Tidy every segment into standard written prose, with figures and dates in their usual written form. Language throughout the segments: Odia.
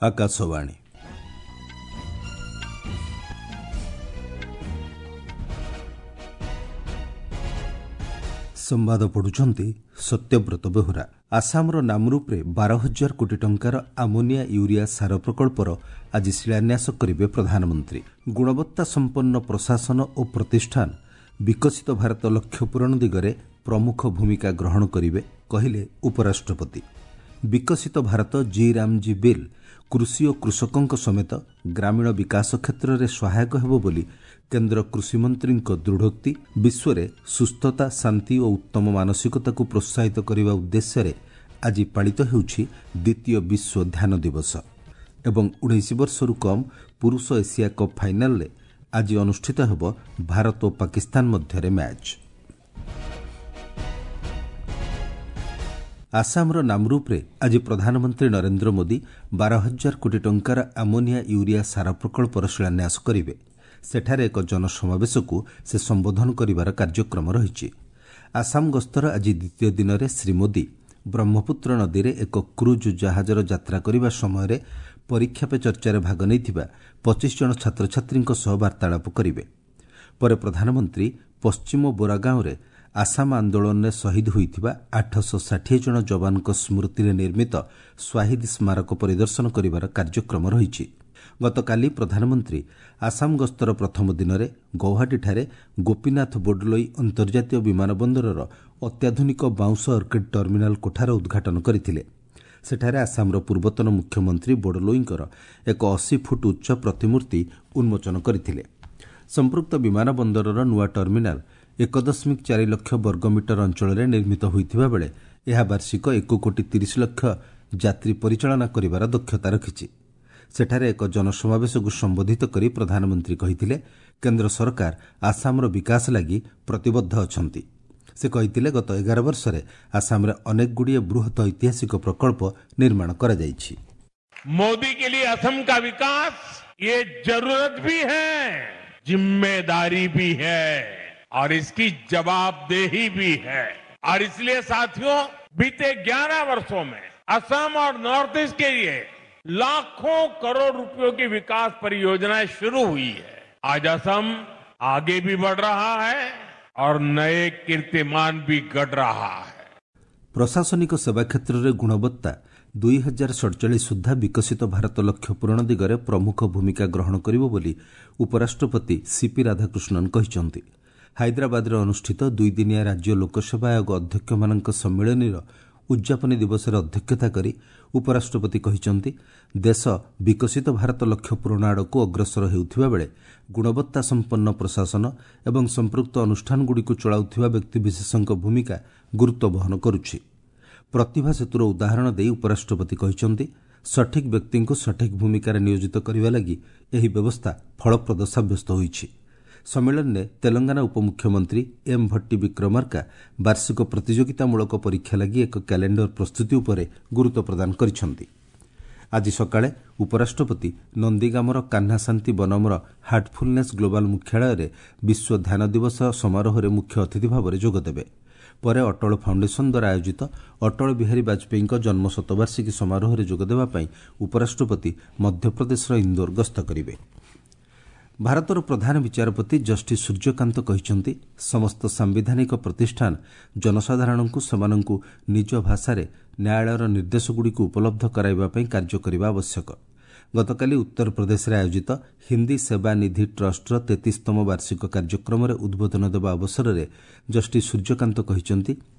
ଆକାଶବାଣୀ। ସମ୍ବାଦ ପଢୁଛନ୍ତି ସତ୍ୟବ୍ରତ ବେହୁରା। ଆସାମର ନାମରୂପରେ 12,000 କୋଟି ଟଙ୍କାର ଆମୋନିଆ ୟୁରିଆ ସାର ପ୍ରକଳ୍ପର ଆଜି ଶିଳାନ୍ୟାସ କରିବେ ପ୍ରଧାନମନ୍ତ୍ରୀ। ଗୁଣବତ୍ତା ସମ୍ପନ୍ନ ପ୍ରଶାସନ ଓ ପ୍ରତିଷ୍ଠାନ ବିକଶିତ ଭାରତ ଲକ୍ଷ୍ୟ ପୂରଣ ଦିଗରେ ପ୍ରମୁଖ ଭୂମିକା ଗ୍ରହଣ କରିବେ, କହିଲେ ଉପରାଷ୍ଟ୍ରପତି। ବିକଶିତ ଭାରତ ଜି ରାମଜୀ ବିଲ୍ କୃଷି ଓ କୃଷକଙ୍କ ସମେତ ଗ୍ରାମୀଣ ବିକାଶ କ୍ଷେତ୍ରରେ ସହାୟକ ହେବ ବୋଲି କେନ୍ଦ୍ର କୃଷିମନ୍ତ୍ରୀଙ୍କ ଦୃଢ଼ୋକ୍ତି। ବିଶ୍ୱରେ ସୁସ୍ଥତା, ଶାନ୍ତି ଓ ଉତ୍ତମ ମାନସିକତାକୁ ପ୍ରୋତ୍ସାହିତ କରିବା ଉଦ୍ଦେଶ୍ୟରେ ଆଜି ପାଳିତ ହେଉଛି ଦ୍ୱିତୀୟ ବିଶ୍ୱ ଧ୍ୟାନ ଦିବସ। ଏବଂ 19 ବର୍ଷରୁ କମ୍ ପୁରୁଷ ଏସିଆ କପ୍ ଫାଇନାଲରେ ଆଜି ଅନୁଷ୍ଠିତ ହେବ ଭାରତ ଓ ପାକିସ୍ତାନ ମଧ୍ୟରେ ମ୍ୟାଚ୍। ଆସାମର ନାମରୂପରେ ଆଜି ପ୍ରଧାନମନ୍ତ୍ରୀ ନରେନ୍ଦ୍ର ମୋଦି 12,000 କୋଟି ଟଙ୍କାର ଆମୋନିଆ ୟୁରିଆ ସାର ପ୍ରକଳ୍ପର ଶିଳାନ୍ୟାସ କରିବେ। ସେଠାରେ ଏକ ଜନସମାବେଶକୁ ସେ ସମ୍ବୋଧନ କରିବାର କାର୍ଯ୍ୟକ୍ରମ ରହିଛି। ଆସାମ ଗସ୍ତର ଆଜି ଦ୍ୱିତୀୟ ଦିନରେ ଶ୍ରୀ ମୋଦି ବ୍ରହ୍ମପୁତ୍ର ନଦୀରେ ଏକ କ୍ରୁଜ୍ ଜାହାଜର ଯାତ୍ରା କରିବା ସମୟରେ ପରୀକ୍ଷା ପେ ଚର୍ଚ୍ଚାରେ ଭାଗ ନେଇଥିବା 25 ଜଣ ଛାତ୍ରଛାତ୍ରୀଙ୍କ ସହ ବାର୍ତ୍ତାଳାପ କରିବେ। ପରେ ପ୍ରଧାନମନ୍ତ୍ରୀ ପଶ୍ଚିମ ବୋରାଗାଁରେ ଆସାମ ଆନ୍ଦୋଳନରେ ଶହୀଦ ହୋଇଥିବା 860 ଜଣ ଯବାନଙ୍କ ସ୍ମୃତିରେ ନିର୍ମିତ ସ୍ୱାହିଦ ସ୍ମାରକ ପରିଦର୍ଶନ କରିବାର କାର୍ଯ୍ୟକ୍ରମ ରହିଛି। ଗତକାଲି ପ୍ରଧାନମନ୍ତ୍ରୀ ଆସାମ ଗସ୍ତର ପ୍ରଥମ ଦିନରେ ଗୌହାଟୀଠାରେ ଗୋପୀନାଥ ବୋଡଲୋଇ ଅନ୍ତର୍ଜାତୀୟ ବିମାନ ବନ୍ଦରର ଅତ୍ୟାଧୁନିକ ବାଉଁଶ ଅର୍କିଡ୍ ଟର୍ମିନାଲ କୋଠାର ଉଦ୍ଘାଟନ କରିଥିଲେ। ସେଠାରେ ଆସାମର ପୂର୍ବତନ ମୁଖ୍ୟମନ୍ତ୍ରୀ ବୋଡଲୋଇଙ୍କର ଏକ 80 ଫୁଟ ଉଚ୍ଚ ପ୍ରତିମୂର୍ତ୍ତି ଉନ୍ମୋଚନ କରିଥିଲେ। ସମ୍ପୃକ୍ତ ବିମାନ ବନ୍ଦରର ନୂଆ ଟର୍ମିନାଲ 1.4 ଲକ୍ଷ ବର୍ଗମିଟର ଅଞ୍ଚଳରେ ନିର୍ମିତ ହୋଇଥିବା ବେଳେ ଏହା ବାର୍ଷିକ 1 କୋଟି 30 ଲକ୍ଷ ଯାତ୍ରୀ ପରିଚାଳନା କରିବାର ଦକ୍ଷତା ରଖିଛି। ସେଠାରେ ଏକ ଜନସମାବେଶକୁ ସମ୍ବୋଧିତ କରି ପ୍ରଧାନମନ୍ତ୍ରୀ କହିଥିଲେ, କେନ୍ଦ୍ର ସରକାର ଆସାମର ବିକାଶ ଲାଗି ପ୍ରତିବଦ୍ଧ ଅଛନ୍ତି। ସେ କହିଥିଲେ, ଗତ 11 ବର୍ଷରେ ଆସାମରେ ଅନେକଗୁଡ଼ିଏ ବୃହତ ଐତିହାସିକ ପ୍ରକଳ୍ପ ନିର୍ମାଣ କରାଯାଇଛି। मोदी के लिए असम का विकास ये जरूरत भी है, जिम्मेदारी भी है और इसकी जवाबदेही भी है। और इसलिए साथियों, बीते 11 वर्षों में असम और नॉर्थ ईस्ट के लिए लाखों करोड़ रुपयों की विकास परियोजनाएं शुरू हुई है। आज असम आगे भी बढ़ रहा है और नए कीर्तिमान भी गढ़ रहा है। ପ୍ରଶାସନିକ ସେବା କ୍ଷେତ୍ରରେ ଗୁଣବତ୍ତା 2047 ସୁଦ୍ଧା ବିକଶିତ ଭାରତ ଲକ୍ଷ୍ୟ ପୂରଣ ଦିଗରେ ପ୍ରମୁଖ ଭୂମିକା ଗ୍ରହଣ କରିବ ବୋଲି ଉପରାଷ୍ଟ୍ରପତି ସିପି ରାଧାକୃଷ୍ଣନ୍ କହିଛନ୍ତି। ହାଇଦ୍ରାବାଦରେ ଅନୁଷ୍ଠିତ ଦୁଇଦିନିଆ ରାଜ୍ୟ ଲୋକସେବା ଆୟୋଗ ଅଧ୍ୟକ୍ଷମାନଙ୍କ ସମ୍ମିଳନୀର ଉଦ୍ଯାପନୀ ଦିବସରେ ଅଧ୍ୟକ୍ଷତା କରି ଉପରାଷ୍ଟ୍ରପତି କହିଛନ୍ତି, ଦେଶ ବିକଶିତ ଭାରତ ଲକ୍ଷ୍ୟ ପୂରଣ ଆଡ଼କୁ ଅଗ୍ରସର ହେଉଥିବା ବେଳେ ଗୁଣବତ୍ତା ସମ୍ପନ୍ନ ପ୍ରଶାସନ ଏବଂ ସମ୍ପୃକ୍ତ ଅନୁଷ୍ଠାନଗୁଡ଼ିକୁ ଚଳାଉଥିବା ବ୍ୟକ୍ତିବିଶେଷଙ୍କ ଭୂମିକା ଗୁରୁତ୍ୱ ବହନ କରୁଛି। ପ୍ରତିଭା ସେତୁର ଉଦାହରଣ ଦେଇ ଉପରାଷ୍ଟ୍ରପତି କହିଛନ୍ତି, ସଠିକ୍ ବ୍ୟକ୍ତିଙ୍କୁ ସଠିକ୍ ଭୂମିକାରେ ନିୟୋଜିତ କରିବା ଲାଗି ଏହି ବ୍ୟବସ୍ଥା ଫଳପ୍ରଦ ସାବ୍ୟସ୍ତ ହୋଇଛି। ସମ୍ମିଳନୀରେ ତେଲଙ୍ଗାନା ଉପମୁଖ୍ୟମନ୍ତ୍ରୀ ଏମ୍ ଭଟ୍ଟି ବିକ୍ରମାର୍କା ବାର୍ଷିକ ପ୍ରତିଯୋଗିତାମୂଳକ ପରୀକ୍ଷା ଲାଗି ଏକ କ୍ୟାଲେଣ୍ଡର ପ୍ରସ୍ତୁତି ଉପରେ ଗୁରୁତ୍ୱ ପ୍ରଦାନ କରିଛନ୍ତି। ଆଜି ସକାଳେ ଉପରାଷ୍ଟ୍ରପତି ନନ୍ଦିଗାମର କାହ୍ନାଶାନ୍ତି ବନମର ହାର୍ଟଫୁଲନେସ୍ ଗ୍ଲୋବାଲ ମୁଖ୍ୟାଳୟରେ ବିଶ୍ୱ ଧ୍ୟାନ ଦିବସ ସମାରୋହରେ ମୁଖ୍ୟ ଅତିଥି ଭାବରେ ଯୋଗଦେବେ। ପରେ ଅଟଳ ଫାଉଣ୍ଡେସନ ଦ୍ୱାରା ଆୟୋଜିତ ଅଟଳ ବିହାରୀ ବାଜପେୟୀଙ୍କ ଜନ୍ମ ଶତବାର୍ଷିକୀ ସମାରୋହରେ ଯୋଗଦେବା ପାଇଁ ଉପରାଷ୍ଟ୍ରପତି ମଧ୍ୟପ୍ରଦେଶର ଇନ୍ଦୋର ଗସ୍ତ କରିବେ। ଭାରତର ପ୍ରଧାନ ବିଚାରପତି ଜଷ୍ଟିସ୍ ସୂର୍ଯ୍ୟକାନ୍ତ କହିଛନ୍ତି, ସମସ୍ତ ସାମ୍ବିଧାନିକ ପ୍ରତିଷ୍ଠାନ ଜନସାଧାରଣଙ୍କୁ ସେମାନଙ୍କୁ ନିଜ ଭାଷାରେ ନ୍ୟାୟାଳୟର ନିର୍ଦ୍ଦେଶଗୁଡ଼ିକୁ ଉପଲବ୍ଧ କରାଇବା ପାଇଁ କାର୍ଯ୍ୟ କରିବା ଆବଶ୍ୟକ। ଗତକାଲି ଉତ୍ତରପ୍ରଦେଶରେ ଆୟୋଜିତ ହିନ୍ଦୀ ସେବା ନିଧି ଟ୍ରଷ୍ଟର 33ତମ ବାର୍ଷିକ କାର୍ଯ୍ୟକ୍ରମରେ ଉଦ୍ବୋଧନ ଦେବା ଅବସରରେ ଜଷ୍ଟିସ୍ ସୂର୍ଯ୍ୟକାନ୍ତ କହିଛନ୍ତି,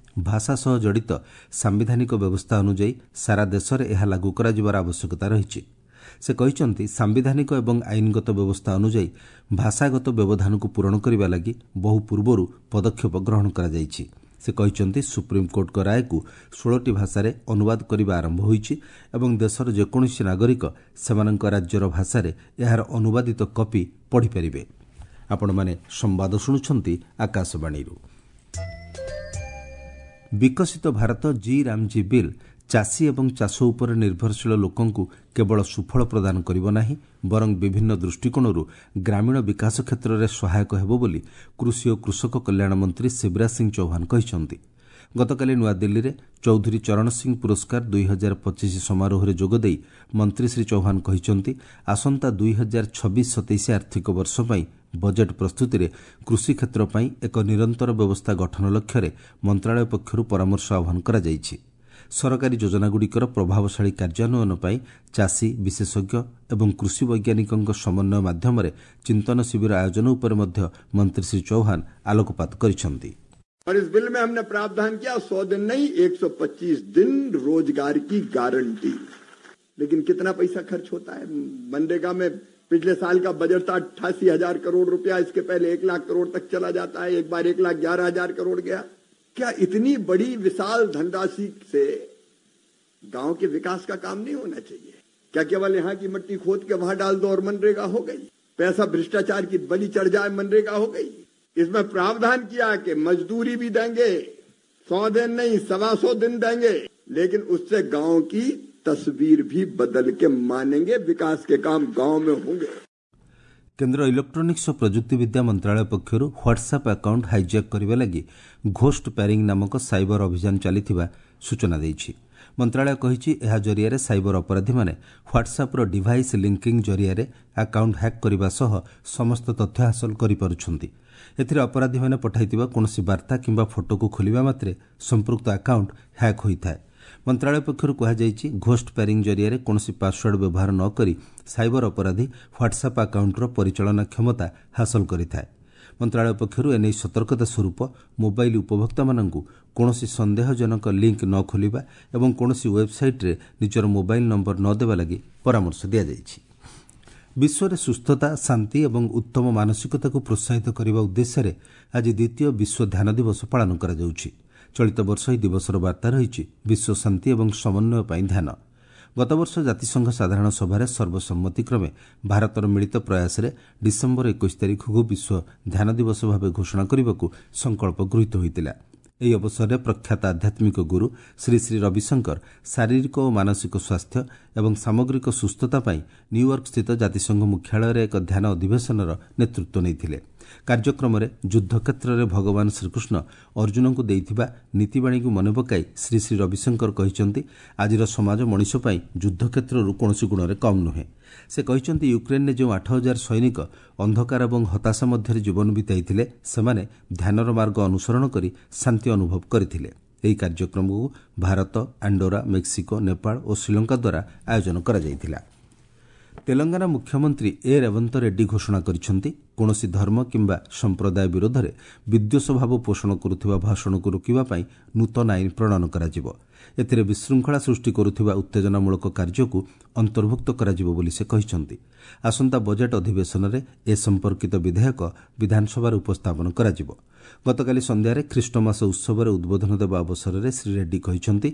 ଭାଷା ସହ ଜଡ଼ିତ ସାମ୍ବିଧାନିକ ବ୍ୟବସ୍ଥା ଅନୁଯାୟୀ ସାରା ଦେଶରେ ଏହା ଲାଗୁ କରାଯିବାର ଆବଶ୍ୟକତା ରହିଛି। ସେ କହିଛନ୍ତି, ସାମ୍ବିଧାନିକ ଏବଂ ଆଇନଗତ ବ୍ୟବସ୍ଥା ଅନୁଯାୟୀ ଭାଷାଗତ ବ୍ୟବଧାନକୁ ପୂରଣ କରିବା ଲାଗି ବହୁ ପୂର୍ବରୁ ପଦକ୍ଷେପ ଗ୍ରହଣ କରାଯାଇଛି। ସେ କହିଛନ୍ତି, ସୁପ୍ରିମକୋର୍ଟଙ୍କ ରାୟକୁ 16ଟି ଭାଷାରେ ଅନୁବାଦ କରିବା ଆରମ୍ଭ ହୋଇଛି ଏବଂ ଦେଶର ଯେକୌଣସି ନାଗରିକ ସେମାନଙ୍କ ରାଜ୍ୟର ଭାଷାରେ ଏହାର ଅନୁବାଦିତ କପି ପଢ଼ିପାରିବେ। ଆପଣମାନେ ସମ୍ବାଦ ଶୁଣୁଛନ୍ତି ଆକାଶବାଣୀରୁ। ବିକଶିତ ଭାରତ ଜି ରାମଜୀ ବିଲ୍ ଚାଷୀ ଏବଂ ଚାଷ ଉପରେ ନିର୍ଭରଶୀଳ ଲୋକଙ୍କୁ କେବଳ ସୁଫଳ ପ୍ରଦାନ କରିବ ନାହିଁ, ବରଂ ବିଭିନ୍ନ ଦୃଷ୍ଟିକୋଣରୁ ଗ୍ରାମୀଣ ବିକାଶ କ୍ଷେତ୍ରରେ ସହାୟକ ହେବ ବୋଲି କୃଷି ଓ କୃଷକ କଲ୍ୟାଣ ମନ୍ତ୍ରୀ ଶିବରାଜ ସିଂ ଚୌହାନ କହିଛନ୍ତି। ଗତକାଲି ନୂଆଦିଲ୍ଲୀରେ ଚୌଧୁରୀ ଚରଣ ସିଂ ପୁରସ୍କାର 2025 ସମାରୋହରେ ଯୋଗଦେଇ ମନ୍ତ୍ରୀ ଶ୍ରୀ ଚୌହାନ କହିଛନ୍ତି, ଆସନ୍ତା 2026-27 ଆର୍ଥିକ ବର୍ଷ ପାଇଁ ବଜେଟ୍ ପ୍ରସ୍ତୁତିରେ କୃଷି କ୍ଷେତ୍ର ପାଇଁ ଏକ ନିରନ୍ତର ବ୍ୟବସ୍ଥା ଗଠନ ଲକ୍ଷ୍ୟରେ ମନ୍ତ୍ରଣାଳୟ ପକ୍ଷରୁ ପରାମର୍ଶ ଆହ୍ୱାନ କରାଯାଇଛି। ସରକାରୀ ଯୋଜନାଗୁଡ଼ିକର ପ୍ରଭାବଶାଳୀ କାର୍ଯ୍ୟାନ୍ୱୟନ ପାଇଁ ଚାଷୀ, ବିଶେଷଜ୍ଞ ଏବଂ କୃଷି ବୈଜ୍ଞାନିକଙ୍କ ସମନ୍ୱୟ ମାଧ୍ୟମରେ ଚିନ୍ତନ ଶିବିର ଆୟୋଜନ ଉପରେ ମଧ୍ୟ ମନ୍ତ୍ରୀ ଶ୍ରୀ ଚୌହାନ ଆଲୋକପାତ କରିଛନ୍ତି। और इस बिल में हमने प्रावधान किया 100 दिन नहीं, 125 दिन रोजगार की गारंटी। लेकिन कितना पैसा खर्च होता है मनरेगा में? पिछले साल का बजट था 88,000 करोड़ रुपया, इसके पहले 1 लाख करोड़ तक चला जाता है, एक बार 1,11,000 करोड़ गया। क्या इतनी बड़ी विशाल धनराशि से गांव के विकास का काम नहीं होना चाहिए? क्या केवल यहाँ की मिट्टी खोद के वहां डाल दो और मनरेगा हो गई? पैसा भ्रष्टाचार की बलि चढ़ जाए, मनरेगा हो गई? इसमें प्रावधान किया कि मजदूरी भी देंगे, 100 दिन नहीं 125 दिन देंगे, लेकिन उससे गांव की तस्वीर भी बदल के मानेंगे, विकास के काम गांव में होंगे। କେନ୍ଦ୍ର ଇଲେକ୍ଟ୍ରୋନିକ୍ସ ଓ ପ୍ରଯୁକ୍ତିବିଦ୍ୟା ମନ୍ତ୍ରଣାଳୟ ପକ୍ଷରୁ ହ୍ୱାଟ୍ସଆପ୍ ଆକାଉଣ୍ଟ ହାଇଜ୍ୟାକ୍ କରିବା ଲାଗି ଘୋଷ୍ଟ ପ୍ୟାରିଂ ନାମକ ସାଇବର ଅଭିଯାନ ଚାଲିଥିବା ସୂଚନା ଦେଇଛି। ମନ୍ତ୍ରଣାଳୟ କହିଛି, ଏହା ଜରିଆରେ ସାଇବର ଅପରାଧୀମାନେ ହ୍ୱାଟ୍ସଆପ୍ର ଡିଭାଇସ୍ ଲିଙ୍କିଂ ଜରିଆରେ ଆକାଉଣ୍ଟ ହ୍ୟାକ୍ କରିବା ସହ ସମସ୍ତ ତଥ୍ୟ ହାସଲ କରିପାରୁଛନ୍ତି। ଏଥିରେ ଅପରାଧୀମାନେ ପଠାଇଥିବା କୌଣସି ବାର୍ତ୍ତା କିମ୍ବା ଫଟୋକୁ ଖୋଲିବା ମାତ୍ରେ ସମ୍ପୃକ୍ତ ଆକାଉଣ୍ଟ ହ୍ୟାକ୍ ହୋଇଥାଏ। ମନ୍ତ୍ରଣାଳୟ ପକ୍ଷରୁ କୁହାଯାଇଛି, ଘୋଷ୍ଟ ପ୍ୟାରିଂ ଜରିଆରେ କୌଣସି ପାସୱାର୍ଡ ବ୍ୟବହାର ନ କରି ସାଇବର ଅପରାଧୀ ହ୍ୱାଟ୍ସଆପ୍ ଆକାଉଣ୍ଟର ପରିଚାଳନା କ୍ଷମତା ହାସଲ କରିଥାଏ। ମନ୍ତ୍ରଣାଳୟ ପକ୍ଷରୁ ଏନେଇ ସତର୍କତା ସ୍ୱରୂପ ମୋବାଇଲ ଉପଭୋକ୍ତାମାନଙ୍କୁ କୌଣସି ସନ୍ଦେହଜନକ ଲିଙ୍କ୍ ନ ଖୋଲିବା ଏବଂ କୌଣସି ୱେବ୍ସାଇଟ୍ରେ ନିଜର ମୋବାଇଲ ନମ୍ବର ନ ଦେବା ଲାଗି ପରାମର୍ଶ ଦିଆଯାଇଛି। ବିଶ୍ୱରେ ସୁସ୍ଥତା, ଶାନ୍ତି ଏବଂ ଉତ୍ତମ ମାନସିକତାକୁ ପ୍ରୋତ୍ସାହିତ କରିବା ଉଦ୍ଦେଶ୍ୟରେ ଆଜି ଦ୍ୱିତୀୟ ବିଶ୍ୱ ଧ୍ୟାନ ଦିବସ ପାଳନ କରାଯାଉଛି। ଚଳିତ ବର୍ଷ ଏହି ଦିବସର ବାର୍ତ୍ତା ରହିଛି ବିଶ୍ୱ ଶାନ୍ତି ଏବଂ ସମନ୍ୱୟ ପାଇଁ ଧ୍ୟାନ। ଗତବର୍ଷ ଜାତିସଂଘ ସାଧାରଣ ସଭାରେ ସର୍ବସମ୍ମତିକ୍ରମେ ଭାରତର ମିଳିତ ପ୍ରୟାସରେ ଡିସେମ୍ବର 21 ତାରିଖକୁ ବିଶ୍ୱ ଧ୍ୟାନ ଦିବସ ଭାବେ ଘୋଷଣା କରିବାକୁ ସଂକଳ୍ପ ଗୃହୀତ ହୋଇଥିଲା। ଏହି ଅବସରରେ ପ୍ରଖ୍ୟାତ ଆଧ୍ୟାତ୍ମିକ ଗୁରୁ ଶ୍ରୀ ଶ୍ରୀ ରବିଶଙ୍କର ଶାରୀରିକ ଓ ମାନସିକ ସ୍ୱାସ୍ଥ୍ୟ ଏବଂ ସାମଗ୍ରିକ ସୁସ୍ଥତା ପାଇଁ ନ୍ୟୁୟର୍କସ୍ଥିତ ଜାତିସଂଘ ମୁଖ୍ୟାଳୟରେ ଏକ ଧ୍ୟାନ ଅଧିବେଶନର ନେତୃତ୍ୱ ନେଇଥିଲେ। କାର୍ଯ୍ୟକ୍ରମରେ ଯୁଦ୍ଧକ୍ଷେତ୍ରରେ ଭଗବାନ ଶ୍ରୀକୃଷ୍ଣ ଅର୍ଜୁନଙ୍କୁ ଦେଇଥିବା ନୀତିବାଣୀକୁ ମନେ ପକାଇ ଶ୍ରୀ ଶ୍ରୀ ରବିଶଙ୍କର କହିଛନ୍ତି, ଆଜିର ସମାଜ ମଣିଷ ପାଇଁ ଯୁଦ୍ଧକ୍ଷେତ୍ରରୁ କୌଣସି ଗୁଣରେ କମ୍ ନୁହେଁ। ସେ କହିଛନ୍ତି, ୟୁକ୍ରେନ୍ରେ ଯେଉଁ 8,000 ସୈନିକ ଅନ୍ଧକାର ଏବଂ ହତାଶା ମଧ୍ୟରେ ଜୀବନ ବିତାଇଥିଲେ, ସେମାନେ ଧ୍ୟାନର ମାର୍ଗ ଅନୁସରଣ କରି ଶାନ୍ତି ଅନୁଭବ କରିଥିଲେ। ଏହି କାର୍ଯ୍ୟକ୍ରମକୁ ଭାରତ, ଆଣ୍ଡୋରା, ମେକ୍ସିକୋ, ନେପାଳ ଓ ଶ୍ରୀଲଙ୍କା ଦ୍ୱାରା ଆୟୋଜନ କରାଯାଇଥିଲା। ତେଲଙ୍ଗାନା ମୁଖ୍ୟମନ୍ତ୍ରୀ ଏ ରେବନ୍ତ ରେଡ୍ଡି ଘୋଷଣା କରିଛନ୍ତି, କୌଣସି ଧର୍ମ କିମ୍ବା ସମ୍ପ୍ରଦାୟ ବିରୋଧରେ ବିଦ୍ୱେଷଭାବ ପୋଷଣ କରୁଥିବା ଭାଷଣକୁ ରୋକିବା ପାଇଁ ନୂତନ ଆଇନ ପ୍ରଣୟନ କରାଯିବ। ଏଥିରେ ବିଶୃଙ୍ଖଳା ସୃଷ୍ଟି କରୁଥିବା ଉତ୍ତେଜନାମୂଳକ କାର୍ଯ୍ୟକୁ ଅନ୍ତର୍ଭୁକ୍ତ କରାଯିବ ବୋଲି ସେ କହିଛନ୍ତି। ଆସନ୍ତା ବଜେଟ୍ ଅଧିବେଶନରେ ଏ ସମ୍ପର୍କିତ ବିଧେୟକ ବିଧାନସଭାରେ ଉପସ୍ଥାପନ କରାଯିବ। ଗତକାଲି ସନ୍ଧ୍ୟାରେ ଖ୍ରୀଷ୍ଟମାସ ଉତ୍ସବରେ ଉଦ୍ବୋଧନ ଦେବା ଅବସରରେ ଶ୍ରୀ ରେଡ୍ଡି କହିଛନ୍ତି,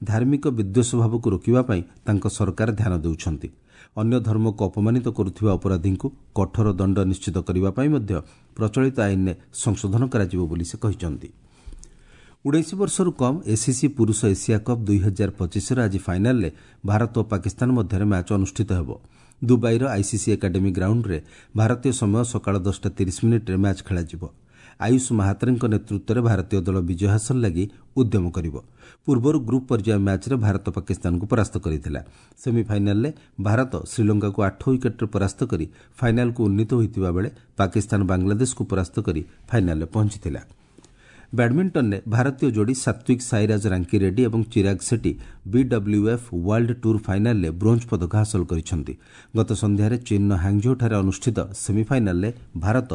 ଧାର୍ମିକ ବିଦ୍ୱେଷଭାବକୁ ରୋକିବା ପାଇଁ ତାଙ୍କ ସରକାର ଧ୍ୟାନ ଦେଉଛନ୍ତି। ଅନ୍ୟ ଧର୍ମକୁ ଅପମାନିତ କରୁଥିବା ଅପରାଧୀଙ୍କୁ କଠୋର ଦଣ୍ଡ ନିଶ୍ଚିତ କରିବା ପାଇଁ ମଧ୍ୟ ପ୍ରଚଳିତ ଆଇନରେ ସଂଶୋଧନ କରାଯିବ ବୋଲି ସେ କହିଛନ୍ତି। 19 ବର୍ଷରୁ କମ୍ ଏସିସି ପୁରୁଷ ଏସିଆ କପ୍ 2025ର ଆଜି ଫାଇନାଲ୍ରେ ଭାରତ ଓ ପାକିସ୍ତାନ ମଧ୍ୟରେ ମ୍ୟାଚ୍ ଅନୁଷ୍ଠିତ ହେବ। ଦୁବାଇର ଆଇସିସି ଏକାଡେମୀ ଗ୍ରାଉଣ୍ଡରେ ଭାରତୀୟ ସମୟ ସକାଳ 10ଟା 30 ମିନିଟ୍ରେ ମ୍ୟାଚ୍ ଖେଳାଯିବ। ଆୟୁଷ ମାହାତ୍ରେଙ୍କ ନେତୃତ୍ୱରେ ଭାରତୀୟ ଦଳ ବିଜୟ ହାସଲ ଲାଗି ଉଦ୍ୟମ କରିବ। ପୂର୍ବରୁ ଗ୍ରୁପ୍ ପର୍ଯ୍ୟାୟ ମ୍ୟାଚ୍ରେ ଭାରତ ପାକିସ୍ତାନକୁ ପରାସ୍ତ କରିଥିଲା। ସେମିଫାଇନାଲ୍ରେ ଭାରତ ଶ୍ରୀଲଙ୍କାକୁ 8 ୱିକେଟ୍ରେ ପରାସ୍ତ କରି ଫାଇନାଲ୍କୁ ଉନ୍ନୀତ ହୋଇଥିବା ବେଳେ ପାକିସ୍ତାନ ବାଂଲାଦେଶକୁ ପରାସ୍ତ କରି ଫାଇନାଲ୍ରେ ପହଞ୍ଚିଥିଲା। ବ୍ୟାଡମିଣ୍ଟନରେ ଭାରତୀୟ ଯୋଡ଼ି ସାତ୍ୱିକ ସାଇରାଜ ରାଙ୍କି ରେଡ୍ଡି ଏବଂ ଚିରାଗ ସେଟ୍ଟି ବିଡବ୍ଲ୍ୟୁଏଫ୍ ୱାର୍ଲଡ ଟୁର୍ ଫାଇନାଲ୍ରେ ବ୍ରୋଞ୍ଜ ପଦକ ହାସଲ କରିଛନ୍ତି। ଗତ ସନ୍ଧ୍ୟାରେ ଚୀନ୍ର ହାଙ୍ଗଝୋଠାରେ ଅନୁଷ୍ଠିତ ସେମିଫାଇନାଲ୍ରେ ଭାରତ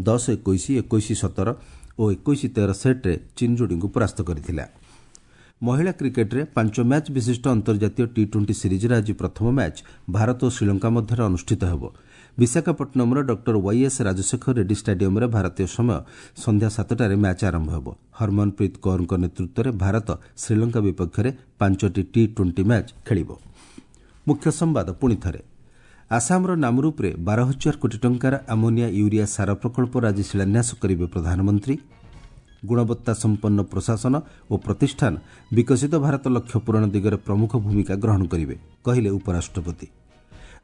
10-21, 21-17 ଓ 21-13 ସେଟ୍ରେ ଚୀନ୍ ଯୋଡ଼ିଙ୍କୁ ପରାସ୍ତ କରିଥିଲା। ମହିଳା କ୍ରିକେଟ୍ରେ 5 ମ୍ୟାଚ୍ ବିଶିଷ୍ଟ ଅନ୍ତର୍ଜାତୀୟ ଟି ଟ୍ୱେଣ୍ଟି ସିରିଜ୍ର ଆଜି ପ୍ରଥମ ମ୍ୟାଚ୍ ଭାରତ ଓ ଶ୍ରୀଲଙ୍କା ମଧ୍ୟରେ ଅନୁଷ୍ଠିତ ହେବ। ବିଶାଖାପଟ୍ଟନମର ଡକ୍ଟର ୱାଇଏସ୍ ରାଜଶେଖର ରେଡ୍ଡି ଷ୍ଟାଡିୟମରେ ଭାରତୀୟ ସମୟ ସନ୍ଧ୍ୟା 7ଟାରେ ମ୍ୟାଚ୍ ଆରମ୍ଭ ହେବ। ହରମନପ୍ରୀତ କୌରଙ୍କ ନେତୃତ୍ୱରେ ଭାରତ ଶ୍ରୀଲଙ୍କା ବିପକ୍ଷରେ 5ଟି ଟି ଟ୍ୱେଣ୍ଟି ମ୍ୟାଚ୍ ଖେଳିବ। ମୁଖ୍ୟ ସମ୍ବାଦ ପୁଣି ଥରେ। ଆସାମର ନାମରୂପରେ 12,000 କୋଟି ଟଙ୍କାର ଆମୋନିଆ ୟୁରିଆ ସାର ପ୍ରକଳ୍ପର ଆଜି ଶିଳାନ୍ୟାସ କରିବେ ପ୍ରଧାନମନ୍ତ୍ରୀ। ଗୁଣବତ୍ତା ସମ୍ପନ୍ନ ପ୍ରଶାସନ ଓ ପ୍ରତିଷ୍ଠାନ ବିକଶିତ ଭାରତ ଲକ୍ଷ୍ୟ ପୂରଣ ଦିଗରେ ପ୍ରମୁଖ ଭୂମିକା ଗ୍ରହଣ କରିବେ, କହିଲେ ଉପରାଷ୍ଟ୍ରପତି।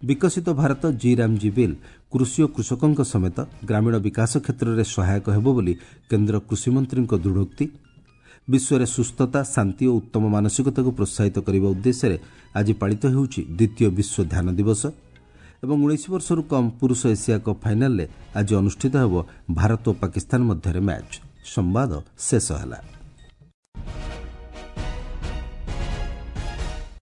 ବିକଶିତ ଭାରତ ଜି ରାମଜୀ ବିଲ୍ କୃଷି ଓ କୃଷକଙ୍କ ସମେତ ଗ୍ରାମୀଣ ବିକାଶ କ୍ଷେତ୍ରରେ ସହାୟକ ହେବ ବୋଲି କେନ୍ଦ୍ର କୃଷିମନ୍ତ୍ରୀଙ୍କ ଦୃଢ଼ୋକ୍ତି। ବିଶ୍ୱରେ ସୁସ୍ଥତା, ଶାନ୍ତି ଓ ଉତ୍ତମ ମାନସିକତାକୁ ପ୍ରୋତ୍ସାହିତ କରିବା ଉଦ୍ଦେଶ୍ୟରେ ଆଜି ପାଳିତ ହେଉଛି ଦ୍ୱିତୀୟ ବିଶ୍ୱ ଧ୍ୟାନ ଦିବସ। ଏବଂ 19 ବର୍ଷରୁ କମ୍ ପୁରୁଷ ଏସିଆ କପ୍ ଫାଇନାଲରେ ଆଜି ଅନୁଷ୍ଠିତ ହେବ ଭାରତ ଓ ପାକିସ୍ତାନ ମଧ୍ୟରେ ମ୍ୟାଚ୍। ସମ୍ବାଦ ଶେଷ ହେଲା।